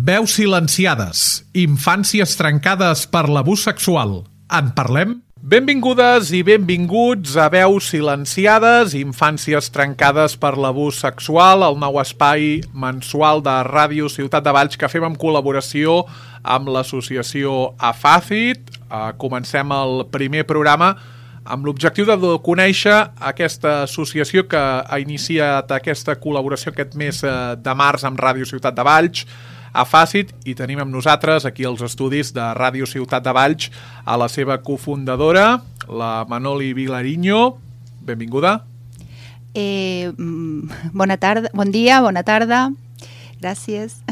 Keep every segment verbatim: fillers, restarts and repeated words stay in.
Veus silenciades, infàncies trencades per l'abús sexual. En parlem? Benvingudes i benvinguts a Veus silenciades, infàncies trencades per l'abús sexual, el nou espai mensual de Ràdio Ciutat de Valls que fem en col·laboració amb l'associació AFACIT. Uh, comencem el primer programa amb l'objectiu de conèixer aquesta associació que ha iniciat aquesta col·laboració aquest mes de març amb Ràdio Ciutat de Valls, AFACIT, i tenim amb nosaltres aquí als estudis de Ràdio Ciutat de Valls a la seva cofundadora, la Manoli Vilariño. Benvinguda. Eh, bona tarda, bon dia, bona tarda. Gràcies.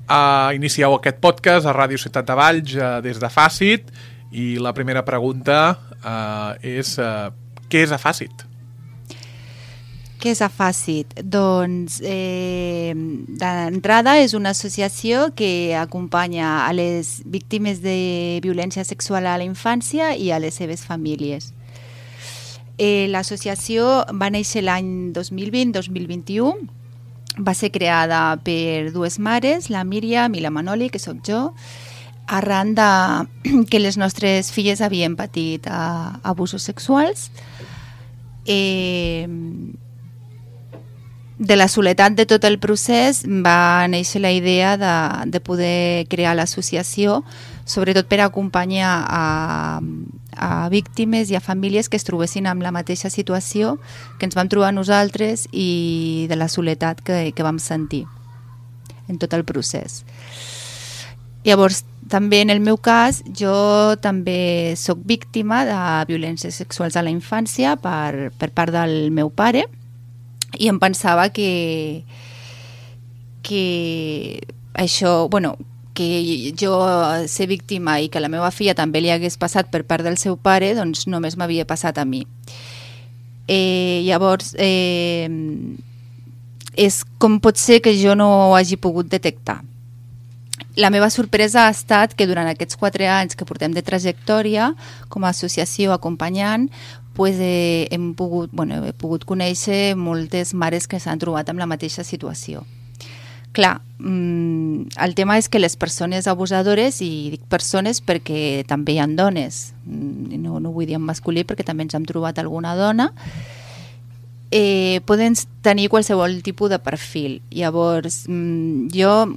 Uh, inicieu aquest podcast a Ràdio Ciutat de Valls uh, des de AFACIT i la primera pregunta uh, és uh, què és AFACIT? Què és AFACIT? Doncs, eh, d'entrada, és una associació que acompanya a les víctimes de violència sexual a la infància i a les seves famílies. Eh, l'associació va néixer l'any dos mil vint dos mil vint-i-u, va ser creada per dues mares, la Míriam i la Manoli, que sóc jo, arran de que les nostres filles havien patit uh, abusos sexuals. Eh, de la soledat de tot el procés va néixer la idea de, de poder crear l'associació, sobretot per acompanyar a, a víctimes i a famílies que es trobessin amb la mateixa situació que ens vam trobar nosaltres i de la soledat que, que vam sentir en tot el procés. Llavors, també en el meu cas, jo també sóc víctima de violències sexuals a la infància per, per part del meu pare, i em pensava que que això, bueno, que jo ser víctima i que la meva filla també li hagués passat per part del seu pare, doncs només m'havia passat a mi. Eh, llavors, eh, és com pot ser que jo no ho hagi pogut detectar. La meva sorpresa ha estat que durant aquests quatre anys que portem de trajectòria com a associació acompanyant, pues, eh, hem, pogut, bueno, he pogut conèixer moltes mares que s'han trobat amb la mateixa situació. Clar, mmm, el tema és que les persones abusadores, i dic persones perquè també hi ha dones, no, no vull dir en masculí perquè també ens hem trobat alguna dona, eh, poden tenir qualsevol tipus de perfil. Llavors, mmm, jo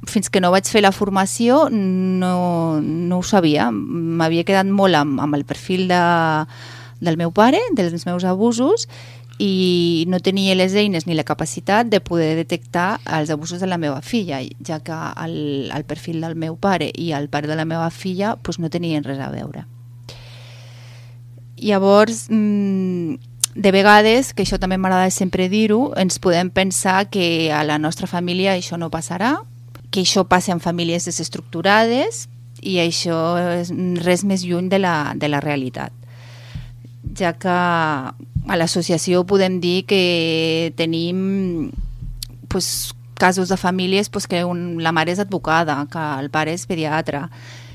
fins que no vaig fer la formació no, no ho sabia, m'havia quedat molt amb, amb el perfil de, del meu pare, dels meus abusos, i no tenia les eines ni la capacitat de poder detectar els abusos de la meva filla, ja que el, el perfil del meu pare i el pare de la meva filla pues, no tenien res a veure. Llavors, de vegades, que això també m'agrada sempre dir-ho, ens podem pensar que a la nostra família això no passarà, que això passa en famílies desestructurades, i això és res més lluny de la, de la realitat, ja que a l'associació podem dir que tenim pues, casos de famílies pues, que un, la mare és advocada, que el pare és pediatre,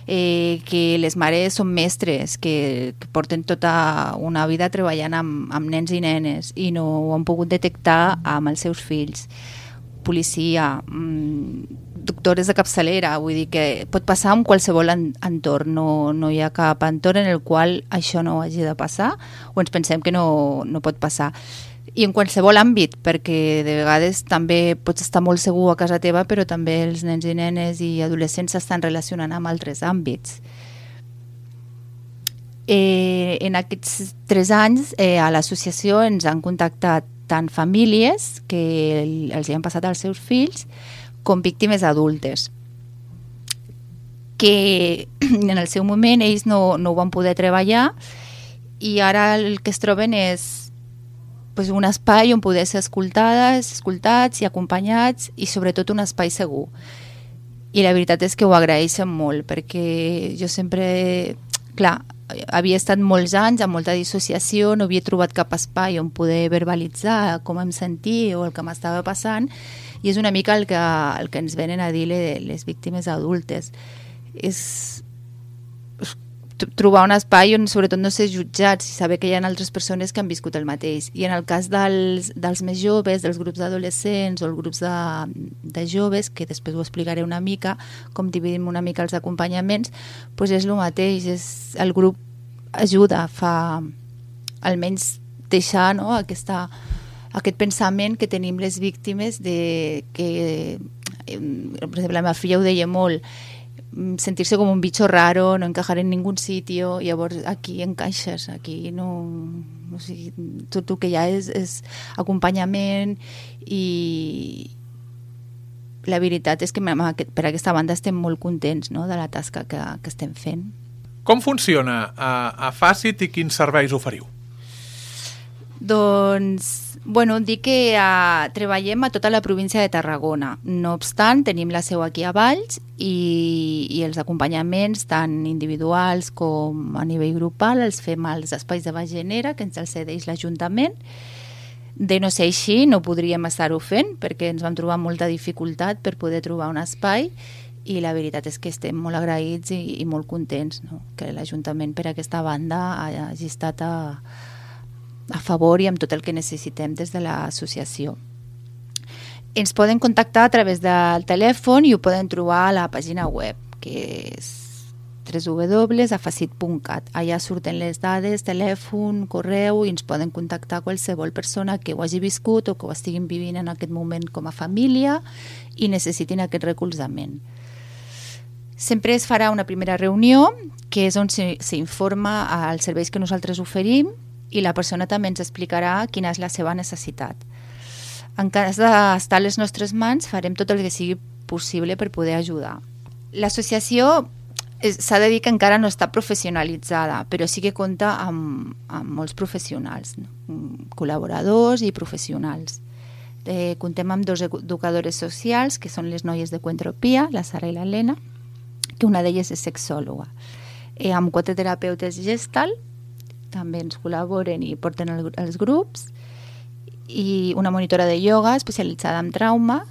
eh, que les mares són mestres, que, que porten tota una vida treballant amb, amb nens i nenes i no ho han pogut detectar amb els seus fills, policia, mmm, doctores de capçalera, vull dir que pot passar en qualsevol entorn, no, no hi ha cap entorn en el qual això no hagi de passar o ens pensem que no, no pot passar. I en qualsevol àmbit, perquè de vegades també pots estar molt segur a casa teva, però també els nens i nenes i adolescents s'estan relacionant amb altres àmbits. Eh, en aquests tres anys eh, a l'associació ens han contactat tant famílies que els hi han passat als seus fills com víctimes adultes, que en el seu moment ells no, no ho van poder treballar i ara el que es troben és pues, un espai on poder ser escoltades, escoltats i acompanyats, i sobretot un espai segur. I la veritat és que ho agraeixen molt, perquè jo sempre, clar, havia estat molts anys amb molta dissociació, no havia trobat cap espai on poder verbalitzar com em sentia o el que m'estava passant, i és una mica el que, el que ens venen a dir les víctimes adultes. És, trobar un espai on sobretot no ser jutjats i saber que hi ha altres persones que han viscut el mateix. I en el cas dels, dels més joves, dels grups d'adolescents o els grups de, de joves, que després ho explicaré una mica, com dividim una mica els acompanyaments, doncs és el mateix, és, el grup ajuda, fa almenys deixar, no, aquesta, aquest pensament que tenim les víctimes de que, per exemple, la meva filla ho deia molt, sentir-se com un bicho raro, no encajar en ningún sitio, i llavors aquí encaixes, aquí no... O sigui, tot el que hi ha és, és acompanyament i la veritat és que per aquesta banda estem molt contents, no?, de la tasca que, que estem fent. Com funciona a, a Facit i quins serveis oferiu? Doncs, bueno, dic que uh, treballem a tota la província de Tarragona. No obstant, tenim la seu aquí a Valls i, i els acompanyaments, tant individuals com a nivell grupal, els fem als espais de Bagenera, que ens els cedeix l'Ajuntament. De no ser així, no podríem estar-ho fent, perquè ens vam trobar molta dificultat per poder trobar un espai, i la veritat és que estem molt agraïts i, i molt contents, no?, que l'Ajuntament per aquesta banda hagi estat a a favor i amb tot el que necessitem des de l'associació. Ens poden contactar a través del telèfon i ho poden trobar a la pàgina web, que és w w w punt afacit punt cat. Allà surten les dades, telèfon, correu, i ens poden contactar qualsevol persona que ho hagi viscut o que ho estiguin vivint en aquest moment com a família i necessitin aquest recolzament. Sempre es farà una primera reunió, que és on s'informa als serveis que nosaltres oferim, i la persona també ens explicarà quina és la seva necessitat. En cas d'estar a les nostres mans, farem tot el que sigui possible per poder ajudar. L'associació s'ha de dir que encara no està professionalitzada, però sí que compta amb, amb molts professionals, no? Col·laboradors i professionals. Eh, comptem amb dos educadores socials, que són les noies de Coentropia, la Sara i l'Helena, que una d'elles és sexòloga. Eh, amb quatre terapeutes Gestalt, també ens col·laboren i porten el, els grups, i una monitora de ioga especialitzada en trauma,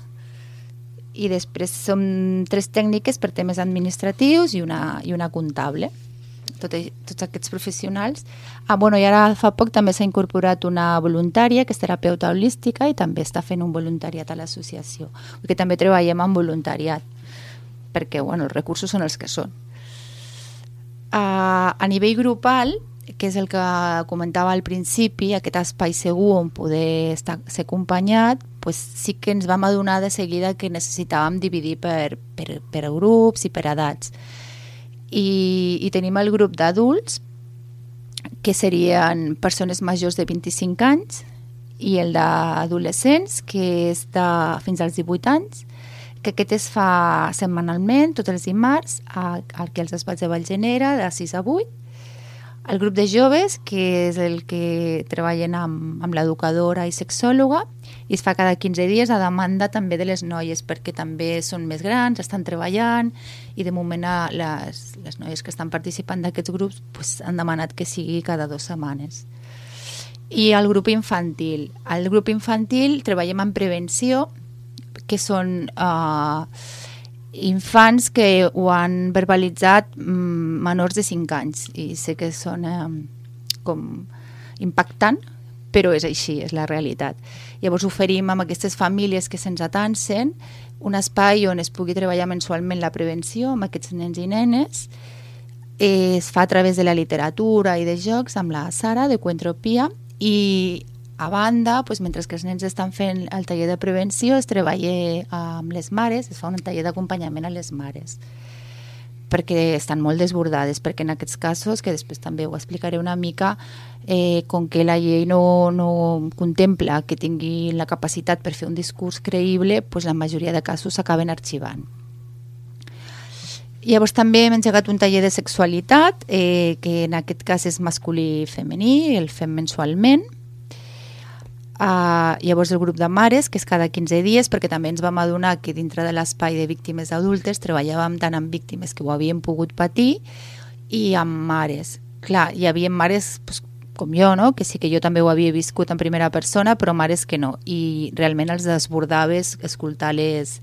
i després som tres tècniques per temes administratius i una, i una comptable. Tot, tots aquests professionals. Ah, bueno, i ara fa poc també s'ha incorporat una voluntària que és terapeuta holística i també està fent un voluntariat a l'associació, perquè també treballem amb voluntariat, perquè bueno, els recursos són els que són. Uh, a nivell grupal, que és el que comentava al principi, aquest espai segur on poder estar, ser acompanyat, pues sí que ens vam adonar de seguida que necessitàvem dividir per, per, per grups i per edats. I, i tenim el grup d'adults, que serien persones majors de vint-i-cinc anys, i el d'adolescents, que és de fins als divuit anys, que aquest es fa setmanalment, tots els dimarts, aquí als espais de Vallgenera, de sis a vuit. El grup de joves, que és el que treballen amb, amb l'educadora i sexòloga, i es fa cada quinze dies a demanda també de les noies, perquè també són més grans, estan treballant, i de moment les, les noies que estan participant d'aquests grups pues, han demanat que sigui cada dues setmanes. I el grup infantil. Al grup infantil treballem en prevenció, que són... Uh, infants que ho han verbalitzat mm, menors de cinc anys, i sé que sona com impactant, però és així, és la realitat. Llavors oferim amb aquestes famílies que se'ns atansen un espai on es pugui treballar mensualment la prevenció amb aquests nens i nenes. Es fa a través de la literatura i de jocs amb la Sara de Coentropia, i a banda, doncs, mentre que els nens estan fent el taller de prevenció, es treballa amb les mares, es fa un taller d'acompanyament a les mares, perquè estan molt desbordades, perquè en aquests casos, que després també ho explicaré una mica, eh, com que la llei no, no contempla que tinguin la capacitat per fer un discurs creïble, doncs la majoria de casos s'acaben arxivant. Llavors també hem engegat un taller de sexualitat, eh, que en aquest cas és masculí i femení, el fem mensualment. Uh, llavors el grup de mares, que és cada quinze dies, perquè també ens vam adonar que dintre de l'espai de víctimes adultes treballàvem tant amb víctimes que ho havien pogut patir i amb mares. Clar, hi havia mares pues, com jo, no? Que sí que jo també ho havia viscut en primera persona, però mares que no, i realment els desbordaves escoltar les,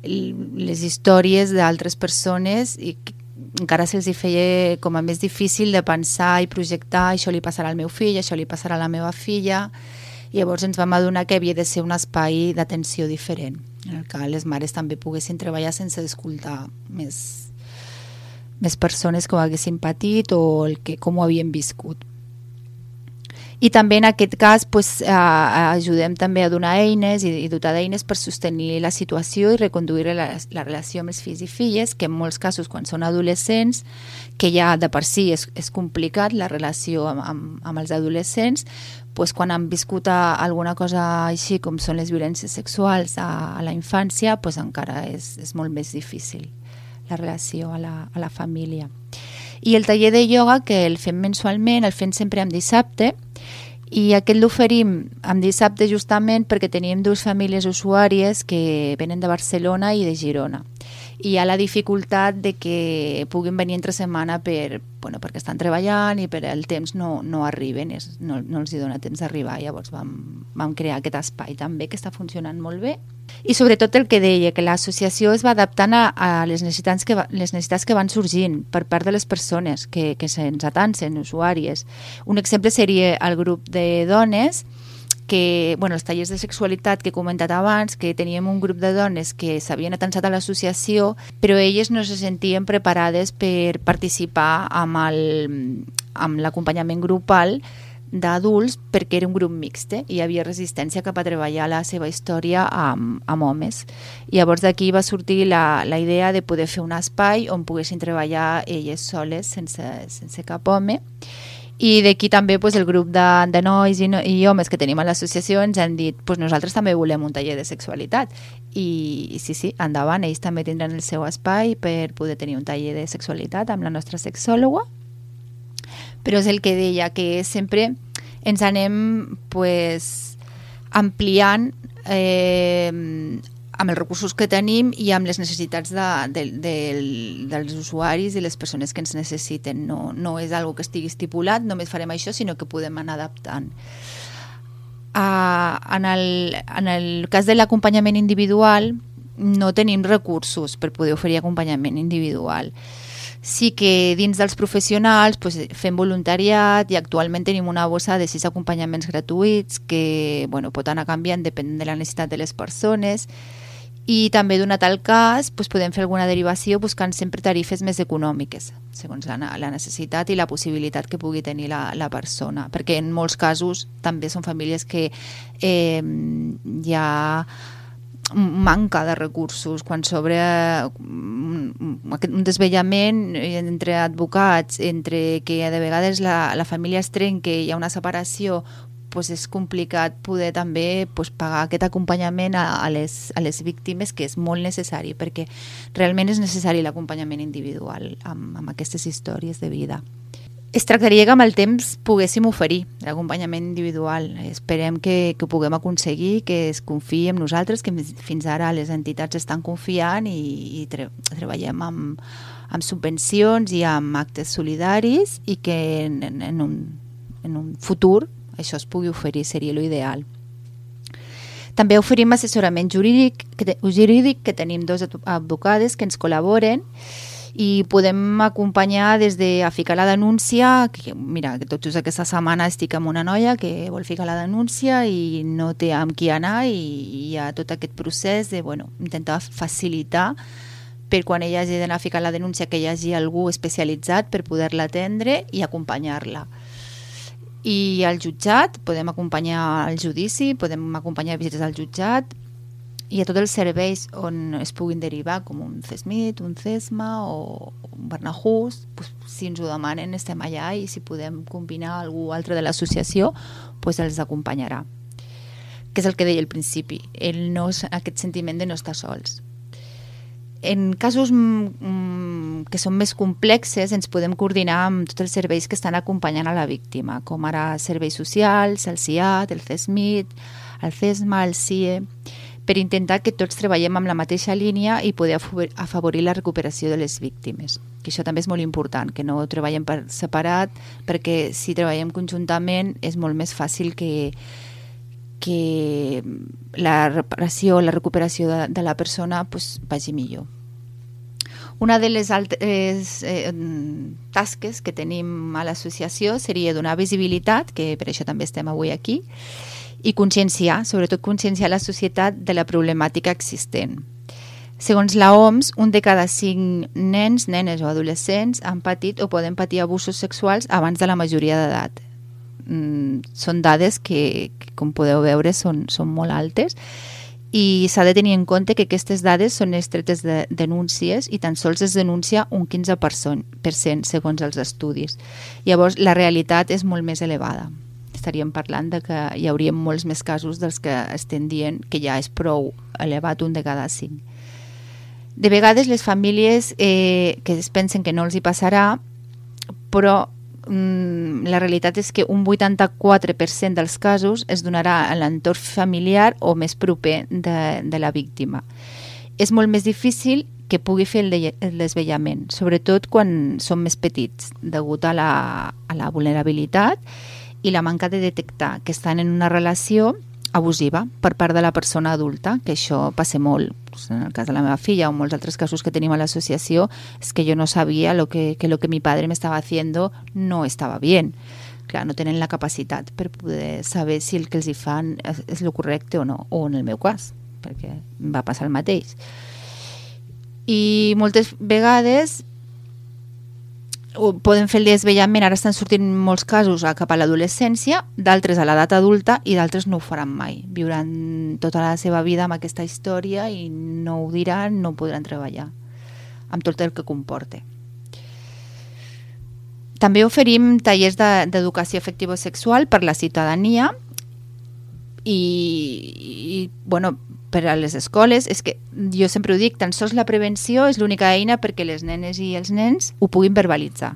les històries d'altres persones i encara se'ls hi feia com a més difícil de pensar i projectar això li passarà al meu fill, això li passarà a la meva filla, i llavors ens vam adonar que havia de ser un espai d'atenció diferent, en el que les mares també poguessin treballar sense escoltar més, més persones que ho haguessin patit o el que, com ho havien viscut. I també en aquest cas pues, eh, ajudem també a donar eines i, i dotar d'eines per sostenir la situació i reconduir la, la relació amb els fills i filles, que en molts casos quan són adolescents, que ja de per si és, és complicat la relació amb, amb, amb els adolescents, pues, quan han viscut a, alguna cosa així com són les violències sexuals a, a la infància, pues, encara és, és molt més difícil la relació a la, a la família. I el taller de ioga, que el fem mensualment, el fem sempre en dissabte, i aquest l'oferim en dissabte justament perquè tenim dues famílies usuàries que venen de Barcelona i de Girona. I hi ha la dificultat de que puguin venir entre setmana per, bueno, perquè estan treballant i per el temps no, no arriben, és, no, no els hi dona temps d'arribar. Llavors vam, vam crear aquest espai també que està funcionant molt bé. I sobretot el que deia, que l'associació es va adaptant a, a les, necessitats que va, les necessitats que van sorgint per part de les persones que, que se'ns atansen, usuàries. Un exemple seria el grup de dones que, bueno, els tallers de sexualitat que he comentat abans, que teníem un grup de dones que s'havien atansat a l'associació, però elles no se sentien preparades per participar amb el, amb l'acompanyament grupal d'adults perquè era un grup mixte i hi havia resistència cap a treballar la seva història amb, amb homes. I llavors d'aquí va sortir la, la idea de poder fer un espai on poguessin treballar elles soles sense, sense cap home. I d'aquí també pues, el grup de, de nois i, no, i homes que tenim a l'associació ens han dit pues, nosaltres també volem un taller de sexualitat. I, i sí, sí, endavant, ells també tindran el seu espai per poder tenir un taller de sexualitat amb la nostra sexòloga. Però és el que deia, que sempre ens anem pues, ampliant eh, amb els recursos que tenim i amb les necessitats de, de, de, dels usuaris i les persones que ens necessiten. No, no és algo que estigui estipulat, només farem això, sinó que podem anar adaptant. Uh, en, el, en el cas de l'acompanyament individual, no tenim recursos per poder oferir acompanyament individual. Sí que dins dels professionals pues, fem voluntariat i actualment tenim una bossa de sis acompanyaments gratuïts que bueno, pot anar canviant depenent de la necessitat de les persones i també donat el cas pues, podem fer alguna derivació buscant sempre tarifes més econòmiques segons la, la necessitat i la possibilitat que pugui tenir la, la persona, perquè en molts casos també són famílies que eh, hi ha manca de recursos quan sobre un desvellament entre advocats, entre que de vegades la, la família es trenca i hi ha una separació, pues és complicat poder també pues, pagar aquest acompanyament a, a, les, a les víctimes, que és molt necessari, perquè realment és necessari l'acompanyament individual amb, amb aquestes històries de vida. Es tractaria que amb el temps poguéssim oferir l'acompanyament individual. Esperem que, que ho puguem aconseguir, que es confiï en nosaltres, que fins ara les entitats estan confiant i, i tre treballem amb, amb subvencions i amb actes solidaris i que en, en, un, en un futur això es pugui oferir, seria l'ideal. També oferim assessorament jurídic que, jurídic, que tenim dos advocades que ens col·laboren i podem acompanyar des de a ficar la denúncia, que mira, que tot just aquesta setmana estic amb una noia que vol ficar la denúncia i no té amb qui anar i hi ha tot aquest procés de bueno, intentar facilitar per quan ella hagi d'anar a ficar la denúncia que hi hagi algú especialitzat per poder-la atendre i acompanyar-la. I al jutjat, podem acompanyar al judici, podem acompanyar visites al jutjat i a tots els serveis on es puguin derivar, com un CESMIT, un CESMA o un Barnahus, pues, si ens ho demanen estem allà i si podem combinar algú altre de l'associació, pues els acompanyarà. Que és el que deia al principi, el no, aquest sentiment de no estar sols. En casos mm, que són més complexes ens podem coordinar amb tots els serveis que estan acompanyant a la víctima, com ara serveis socials, el C I A T, el CESMIT, el CESMA, el C I E, per intentar que tots treballem amb la mateixa línia i poder afavorir la recuperació de les víctimes. Que això també és molt important, que no treballem per separat, perquè si treballem conjuntament és molt més fàcil que, que la reparació, la recuperació de, de la persona pues, vagi millor. Una de les altres eh, tasques que tenim a l'associació seria donar visibilitat, que per això també estem avui aquí, i conscienciar, sobretot conscienciar la societat de la problemàtica existent. Segons la O M S, un de cada cinc nens, nenes o adolescents han patit o poden patir abusos sexuals abans de la majoria d'edat. Mm, són dades que, que, com podeu veure, són, són molt altes, i s'ha de tenir en compte que aquestes dades són extretes de denúncies i tan sols es denuncia un quinze per cent segons els estudis. Llavors, la realitat és molt més elevada. Estaríem parlant de que hi hauria molts més casos dels que estem dient que ja és prou elevat un de cada cinc. De vegades les famílies eh, que es pensen que no els hi passarà, però la realitat és que un vuitanta-quatre per cent dels casos es donarà a l'entorn familiar o més proper de, de la víctima. És molt més difícil que pugui fer el, de, el desvellament, sobretot quan són més petits, degut a la, a la vulnerabilitat i la manca de detectar que estan en una relació abusiva per part de la persona adulta, que això passa molt. En el cas de la meva filla o molts altres casos que tenim a l'associació, és que jo no sabia lo que, que lo que mi padre me estaba haciendo no estava bien. Clar, no tenen la capacitat per poder saber si el que els hi fan és, és lo correcte o no, o en el meu cas, perquè em va passar el mateix. I moltes vegades poden fer el desvellament, ara estan sortint molts casos cap a l'adolescència, d'altres a l'edat adulta i d'altres no ho faran mai. Viuran tota la seva vida amb aquesta història i no ho diran, no podran treballar, amb tot el que comporta. També oferim tallers d'educació afectivo-sexual per la ciutadania i, i bueno, per a les escoles. És que jo sempre ho dic, tan sols la prevenció és l'única eina perquè les nenes i els nens ho puguin verbalitzar.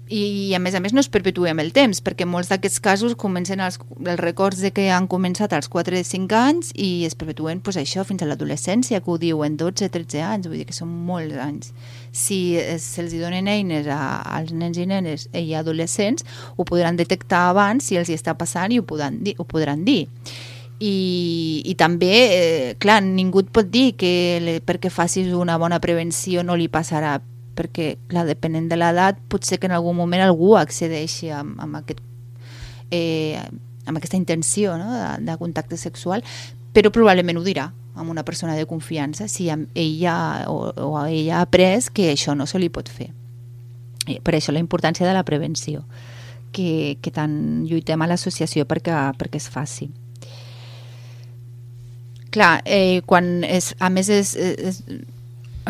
I a més a més no es perpetui amb el temps, perquè molts d'aquests casos comencen els, els records de que han començat als quatre o cinc anys i es perpetuen pues, això fins a l'adolescència, que ho diuen dotze o tretze anys, vull dir que són molts anys. Si se'ls donen eines a, als nens i nenes i adolescents, ho podran detectar abans si els hi està passant i ho podran dir. Ho podran dir. I, i també, eh, clar, ningú et pot dir que le, perquè facis una bona prevenció no li passarà, perquè, clar, depenent de l'edat, potser que en algun moment algú accedeixi amb, amb, aquest, eh, amb aquesta intenció, no?, de, de contacte sexual, però probablement ho dirà amb una persona de confiança si ella o, o ella ha après que això no se li pot fer. I per això la importància de la prevenció, que, que tant lluitem a l'associació perquè, perquè es faci. Clar, eh, quan es, a més es, es,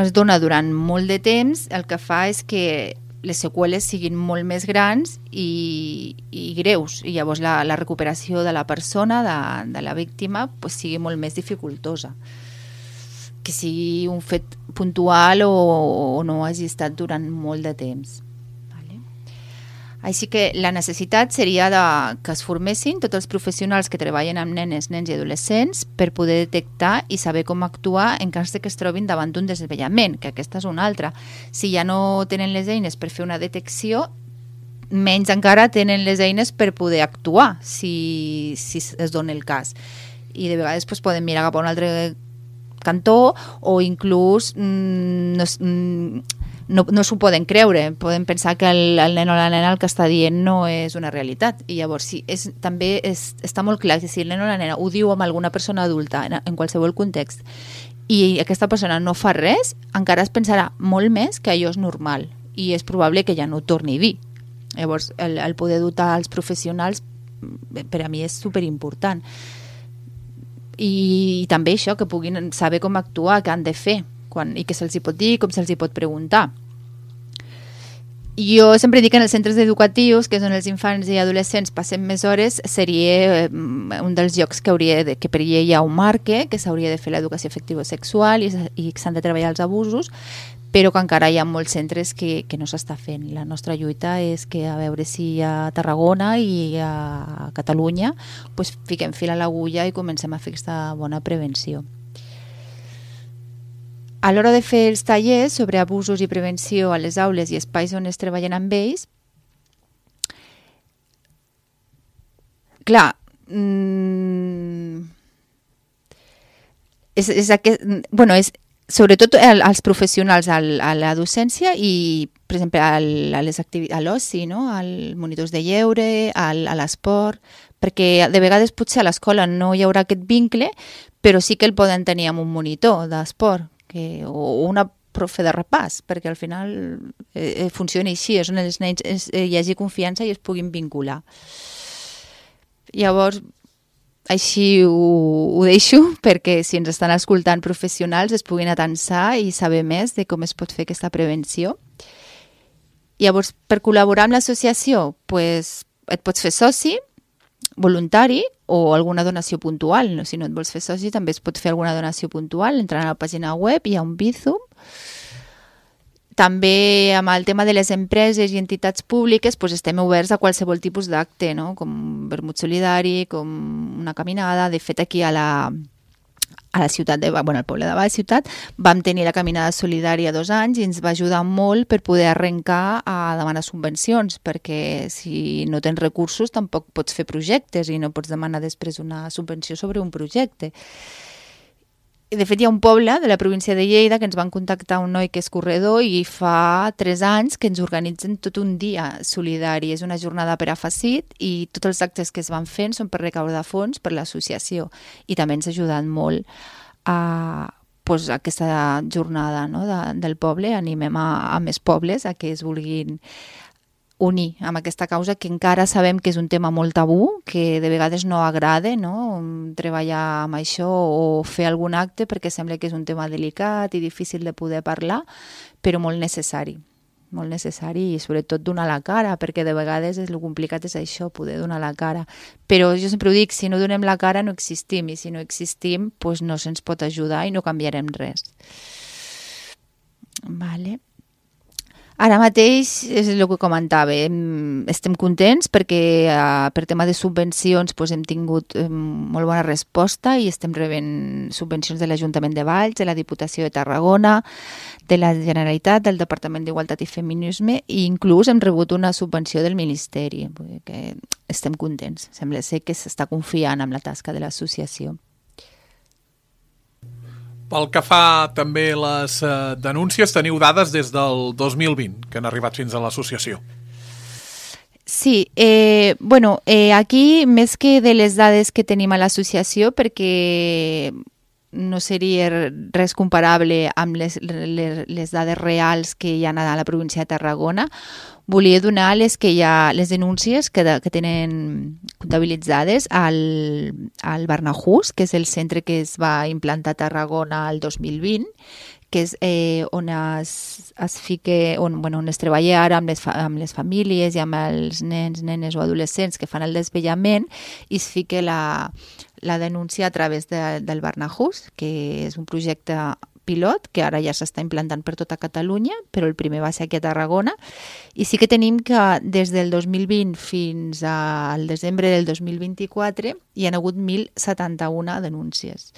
es dona durant molt de temps, el que fa és que les seqüeles siguin molt més grans i, i greus, i llavors la, la recuperació de la persona, de, de la víctima, pues, sigui molt més dificultosa, que sigui un fet puntual o, o no hagi estat durant molt de temps. Així que la necessitat seria de, que es formessin tots els professionals que treballen amb nenes, nens i adolescents per poder detectar i saber com actuar en cas de que es trobin davant d'un desvellament, que aquesta és una altra. Si ja no tenen les eines per fer una detecció, menys encara tenen les eines per poder actuar si, si es dona el cas. I de vegades pues, poden mirar cap a un altre cantó o inclús mmm, no, mmm, no, no s'ho poden creure, poden pensar que el, el nen o la nena el que està dient no és una realitat, i llavors sí, és, també és, està molt clar que si el nen o la nena ho diu amb alguna persona adulta en, en qualsevol context i aquesta persona no fa res, encara es pensarà molt més que allò és normal i és probable que ja no ho torni a dir. Llavors el, el poder dotar els professionals per a mi és superimportant. I, i també això, que puguin saber com actuar, què han de fer quan, i què se'ls hi pot dir, com se'ls hi pot preguntar. Jo sempre dic que en els centres educatius, que són els infants i adolescents, passem més hores, seria un dels llocs que hauria de, que per llei ja ho marque, que s'hauria de fer l'educació afectivo-sexual i, i que s'han de treballar els abusos, però que encara hi ha molts centres que, que no s'està fent. La nostra lluita és que a veure si a Tarragona i a Catalunya pues, fiquem fil a l'agulla i comencem a fer aquesta bona prevenció. A l'hora de fer els tallers sobre abusos i prevenció a les aules i espais on es treballen amb ells, clar, mmm, és, és, aquest, bueno, és sobretot als professionals a la docència i, per exemple, a l'oci, no? Als monitors de lleure, a l'esport, perquè de vegades potser a l'escola no hi haurà aquest vincle, però sí que el poden tenir amb un monitor d'esport o una profe de repàs, perquè al final eh, funciona així, és on els nens es, eh, hi hagi confiança i es puguin vincular. Llavors, així ho, ho deixo, perquè si ens estan escoltant professionals es puguin atensar i saber més de com es pot fer aquesta prevenció. Llavors, per col·laborar amb l'associació, pues, et pots fer soci, voluntari o alguna donació puntual. Si no et vols fer soci, també es pot fer alguna donació puntual. Entrant a la pàgina web, hi ha un Bizum. També amb el tema de les empreses i entitats públiques doncs estem oberts a qualsevol tipus d'acte, no? Com vermut solidari, com una caminada. De fet, aquí a la, a la ciutat, de, bueno, al poble de Baix Ciutat, vam tenir la caminada solidària dos anys i ens va ajudar molt per poder arrencar a demanar subvencions, perquè si no tens recursos tampoc pots fer projectes i no pots demanar després una subvenció sobre un projecte. De fet, hi ha un poble de la província de Lleida que ens van contactar un noi que és corredor i fa tres anys que ens organitzen tot un dia solidari. És una jornada per a Facit i tots els actes que es van fent són per recaudar fons per l'associació i també ens ha ajudat molt a, pues, a aquesta jornada, no, de, del poble. Animem a, a més pobles a que es vulguin unir amb aquesta causa, que encara sabem que és un tema molt tabú, que de vegades no agrada, no? Treballar amb això o fer algun acte, perquè sembla que és un tema delicat i difícil de poder parlar, però molt necessari, molt necessari i sobretot donar la cara, perquè de vegades el complicat és això, poder donar la cara. Però jo sempre ho dic, si no donem la cara no existim, i si no existim doncs no se'ns pot ajudar i no canviarem res. Vale. Ara mateix és el que comentava, estem contents perquè eh, per tema de subvencions doncs, hem tingut eh, molt bona resposta i estem rebent subvencions de l'Ajuntament de Valls, de la Diputació de Tarragona, de la Generalitat, del Departament d'Igualtat i Feminisme i inclús hem rebut una subvenció del Ministeri. Que estem contents, sembla ser que s'està confiant en la tasca de l'associació. Pel que fa també les eh, denúncies, teniu dades des del dos mil vint que han arribat fins a l'associació. Sí, eh, bueno, eh, aquí més que de les dades que tenim a l'associació, perquè no seria res comparable amb les, les, les dades reals que hi ha a la província de Tarragona, volia donar les que hi ha, les denúncies que, de, que tenen comptabilitzades al, al Barnahus, que és el centre que es va implantar a Tarragona el dos mil vint, que és eh, on es, es fica, on, bueno, on es treballa ara amb les, amb les famílies i amb els nens, nenes o adolescents que fan el desvellament i es fica la, la denúncia a través de, del Barnahus, que és un projecte pilot que ara ja s'està implantant per tota Catalunya, però el primer va ser aquí a Tarragona. I sí que tenim que des del dos mil vint fins al desembre del dos mil vint-i-quatre hi ha hagut mil setanta-una denúncies.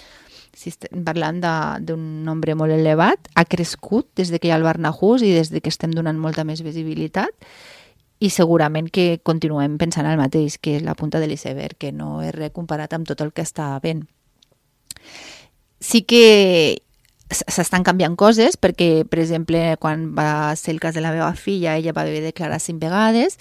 Si estem parlant d'un nombre molt elevat, ha crescut des que hi ha el Barnahus i des que estem donant molta més visibilitat i segurament que continuem pensant el mateix, que és la punta de l'iceberg, que no és res comparat amb tot el que està havent. Sí que s'estan canviant coses perquè, per exemple, quan va ser el cas de la meva filla, ella va haver de declarar cinc vegades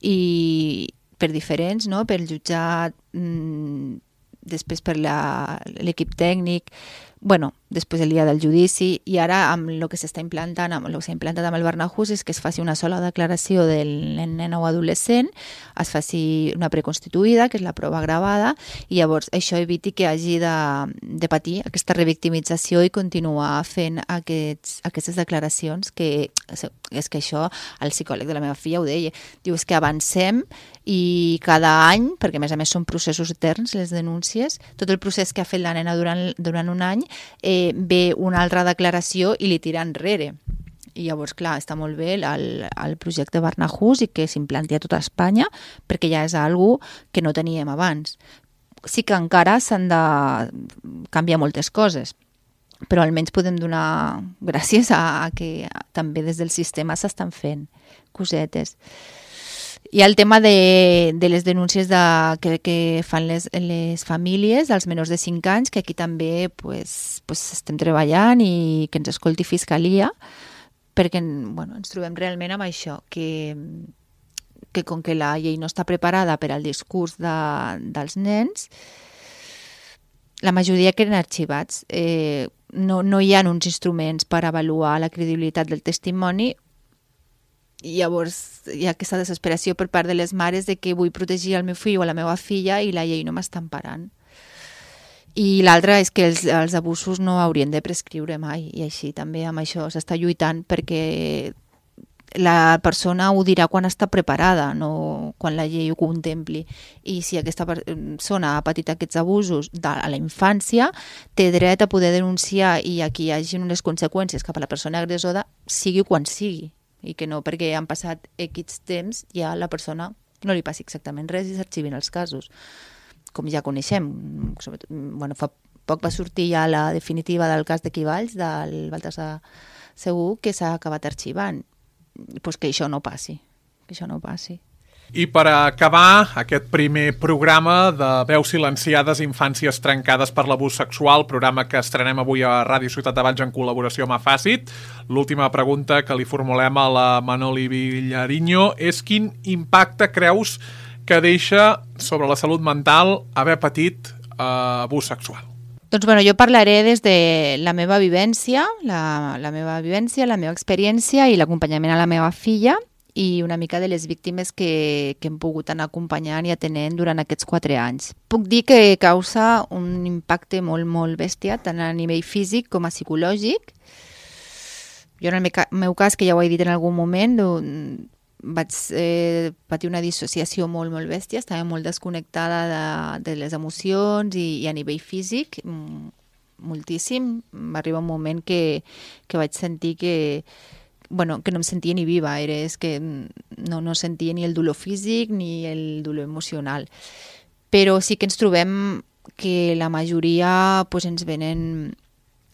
i per diferents, no? Per jutjat, mmm, després per l'equip tècnic, bueno, després el dia del judici, i ara amb el que s'està implantant, amb el que s'ha implantat amb el Barnahus és que es faci una sola declaració del nen o adolescent, es faci una preconstituïda, que és la prova gravada, i llavors això eviti que hagi de, de patir aquesta revictimització i continuar fent aquests, aquestes declaracions, que és que això, el psicòleg de la meva filla ho deia, diu, és que avancem i cada any, perquè a més a més són processos eterns, les denúncies, tot el procés que ha fet la nena durant, durant un any, eh, ve una altra declaració i li tira enrere. I llavors, clar, està molt bé el, el projecte Barnahus i que s'implanti a tota Espanya, perquè ja és algo que no teníem abans. Sí que encara s'han de canviar moltes coses, però almenys podem donar gràcies a, a que també des del sistema s'estan fent cosetes. Hi ha el tema de, de les denúncies de, que, que fan les, les famílies dels menors de cinc anys, que aquí també pues, pues, estem treballant i que ens escolti Fiscalia, perquè bueno, ens trobem realment amb això, que, que com que la llei no està preparada per al discurs de, dels nens, la majoria queden arxivats. Eh, no, no hi ha uns instruments per avaluar la credibilitat del testimoni. I llavors hi ha aquesta desesperació per part de les mares de que vull protegir el meu fill o la meva filla i la llei no m'està emparant. I l'altra és que els, els abusos no haurien de prescriure mai, i així també amb això s'està lluitant perquè la persona ho dirà quan està preparada, no quan la llei ho contempli. I si aquesta persona ha patit aquests abusos de, a la infància, té dret a poder denunciar i a que hi hagi unes conseqüències cap a la persona agressora, sigui quan sigui. I que no perquè han passat X temps ja la persona no li passi exactament res i s'arxivin els casos. Com ja coneixem, bueno, fa poc va sortir ja la definitiva del cas de Quivalls, del Baltasar Segur, que s'ha acabat arxivant. Pues que això no passi, que això no passi. I per acabar aquest primer programa de Veus silenciades, infàncies trencades per l'abús sexual, programa que estrenem avui a Ràdio Ciutat de Valls en col·laboració amb Afàcit, l'última pregunta que li formulem a la Manoli Vilariño és quin impacte creus que deixa sobre la salut mental haver patit eh, abús sexual? Doncs bueno, jo parlaré des de la meva vivència, la, la meva vivència, la meva experiència i l'acompanyament a la meva filla, i una mica de les víctimes que, que hem pogut anar acompanyant i atenent durant aquests quatre anys. Puc dir que causa un impacte molt, molt bèstia, tant a nivell físic com a psicològic. Jo en el meu cas, que ja ho he dit en algun moment, vaig eh, patir una dissociació molt, molt bèstia, estava molt desconnectada de, de les emocions i, i a nivell físic, moltíssim. Va arribar un moment que, que vaig sentir que bueno, que no em sentia ni viva, era, és que no, no sentia ni el dolor físic ni el dolor emocional. Però sí que ens trobem que la majoria pues, ens venen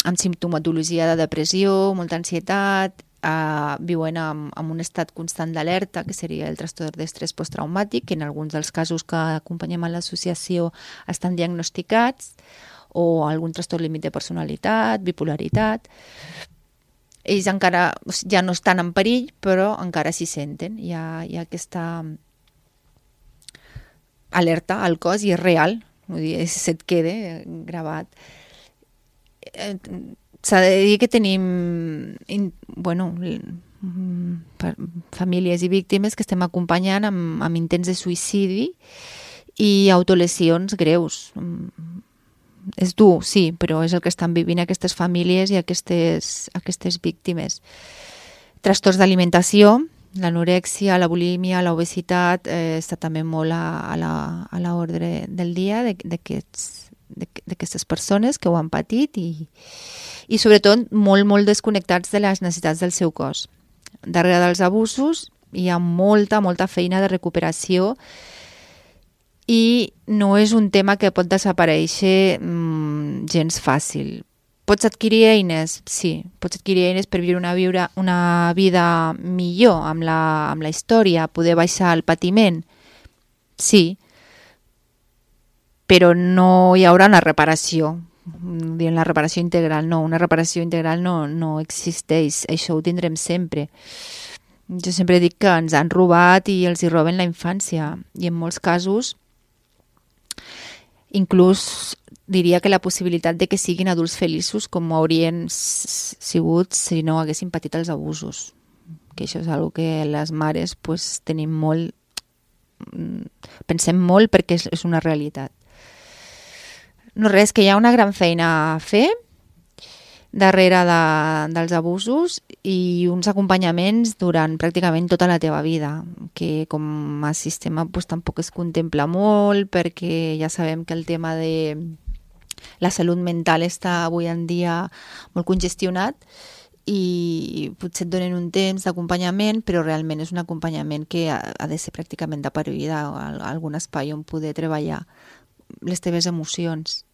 amb simptomatologia de depressió, molta ansietat, eh, viuen amb, amb un estat constant d'alerta, que seria el trastorn d'estrès posttraumàtic, que en alguns dels casos que acompanyem a l'associació estan diagnosticats, o algun trastorn límit de personalitat, bipolaritat. Ells encara ja no estan en perill, però encara s'hi senten. Hi ha, hi ha aquesta alerta al cos i és real, vull dir, se't queda gravat. S'ha de dir que tenim bueno, famílies i víctimes que estem acompanyant amb, amb intents de suïcidi i autolesions greus. És dur, sí, però és el que estan vivint aquestes famílies i aquestes, aquestes víctimes. Trastorns d'alimentació, l'anorèxia, la bulímia, l'obesitat, eh, està també molt a, a, la, a l'ordre del dia d'aquestes persones que ho han patit i, i sobretot molt, molt desconnectats de les necessitats del seu cos. Darrere dels abusos hi ha molta, molta feina de recuperació i no és un tema que pot desaparèixer mmm, gens fàcil. Pots adquirir eines? Sí, pots adquirir eines per viure una, viure una vida millor amb la, amb la història, poder baixar el patiment? Sí, però no hi haurà una reparació, dient la reparació integral, no, una reparació integral no, no existeix, això ho tindrem sempre. Jo sempre dic que ens han robat i els hi roben la infància i en molts casos inclús diria que la possibilitat de que siguin adults feliços com haurien sigut si no haguessin patit els abusos. Que això és una cosa que les mares pues, tenim molt, pensem molt perquè és una realitat. No res, que hi ha una gran feina a fer darrere de, dels abusos i uns acompanyaments durant pràcticament tota la teva vida, que com a sistema pues, tampoc es contempla molt perquè ja sabem que el tema de la salut mental està avui en dia molt congestionat i potser et donen un temps d'acompanyament, però realment és un acompanyament que ha, ha de ser pràcticament de per vida, algun espai on poder treballar les teves emocions.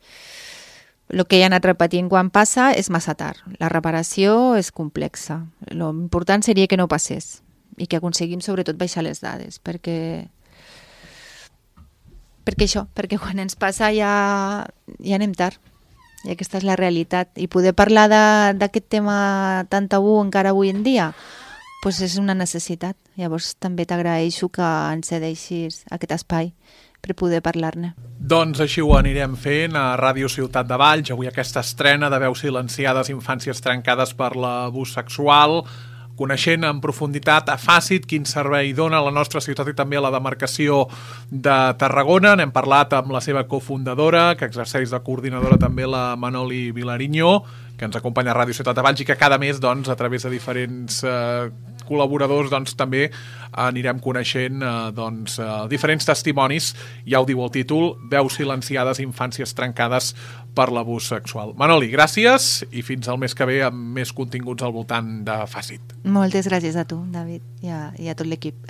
El que he anat repetint quan passa és massa tard. La reparació és complexa. L'important seria que no passés i que aconseguim sobretot baixar les dades, perquè perquè això, perquè quan ens passa ja, ja anem tard, i aquesta és la realitat, i poder parlar d'aquest tema tan tabú encara avui en dia pues és una necessitat. Llavors també t'agraeixo que ens cedeixis aquest espai per poder parlar-ne. Doncs així ho anirem fent a Ràdio Ciutat de Valls, avui aquesta estrena de Veus silenciades, infàncies trencades per l'abús sexual, coneixent en profunditat a Facit quin servei dona a la nostra ciutat i també a la demarcació de Tarragona. N'hem parlat amb la seva cofundadora, que exerceix de coordinadora també, la Manoli Vilariño, que ens acompanya a Ràdio Ciutat de Valls i que cada mes, doncs, a través de diferents eh, col·laboradors, doncs, també anirem coneixent eh, doncs, eh, diferents testimonis, ja ho diu el títol, Veus silenciades, infàncies trencades per l'abús sexual. Manoli, gràcies i fins al mes que ve amb més continguts al voltant de Facit. Moltes gràcies a tu, David, i a, i a tot l'equip.